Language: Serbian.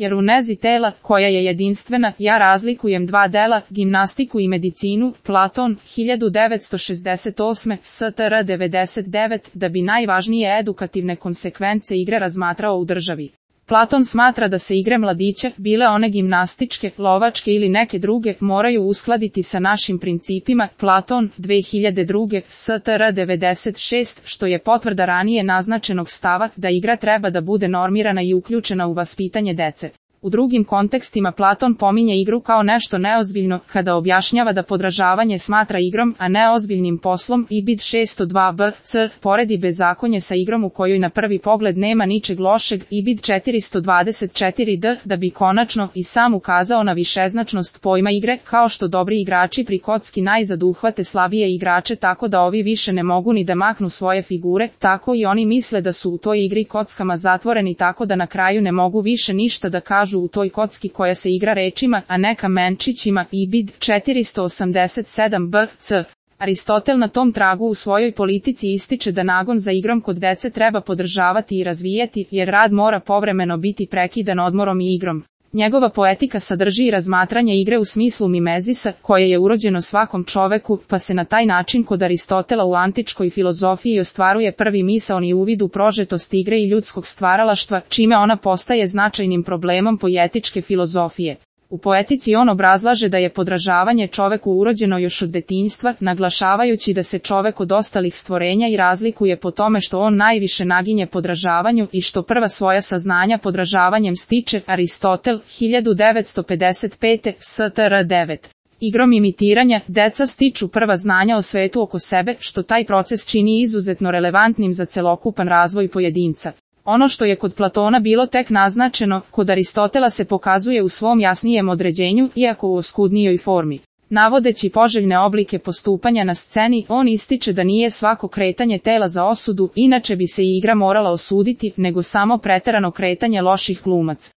jer u nezi tela, koja je jedinstvena, ja razlikujem dva dela, gimnastiku i medicinu, Platon, 1968, STR 99, da bi najvažnije edukativne konsekvence igre razmatrao u državi. Platon smatra da se igre mladića, bile one gimnastičke, lovačke ili neke druge, moraju uskladiti sa našim principima, Platon, 2002, STR 96, što je potvrda ranije naznačenog stava da igra treba da bude normirana i uključena u vaspitanje dece. U drugim kontekstima Platon pominje igru kao nešto neozbiljno, kada objašnjava da podržavanje smatra igrom, a ne ozbiljnim poslom. Ibid 602b, c, poredi bezakonje sa igrom u kojoj na prvi pogled nema ničeg lošeg. Ibid 424d, da bi konačno i sam ukazao na višeznačnost pojma igre, kao što dobri igrači pri kocki najzad uhvate slabije igrače tako da ovi više ne mogu ni da maknu svoje figure, tako i oni misle da su u toj igri kockama zatvoreni tako da na kraju ne mogu više ništa da kažu u toj kocki koja se igra rečima, a ne kamenčićima. Ibid 487b, c. Aristotel na tom tragu u svojoj politici ističe da nagon za igrom kod dece treba podržavati i razvijati, jer rad mora povremeno biti prekidan odmorom i igrom. Njegova poetika sadrži i razmatranje igre u smislu mimezisa, koje je urođeno svakom čoveku, pa se na taj način kod Aristotela u antičkoj filozofiji ostvaruje prvi misaoni uvid u prožetost igre i ljudskog stvaralaštva, čime ona postaje značajnim problemom poetičke filozofije. U poetici on obrazlaže da je podražavanje čoveku urođeno još od detinjstva, naglašavajući da se čovek od ostalih stvorenja i razlikuje po tome što on najviše naginje podražavanju i što prva svoja saznanja podražavanjem stiče. Aristotel, 1955, STR 9. Igrom imitiranja, deca stiču prva znanja o svetu oko sebe, što taj proces čini izuzetno relevantnim za celokupan razvoj pojedinca. Ono što je kod Platona bilo tek naznačeno, kod Aristotela se pokazuje u svom jasnijem određenju, iako u oskudnijoj formi. Navodeći poželjne oblike postupanja na sceni, on ističe da nije svako kretanje tela za osudu, inače bi se i igra morala osuditi, nego samo preterano kretanje loših glumaca.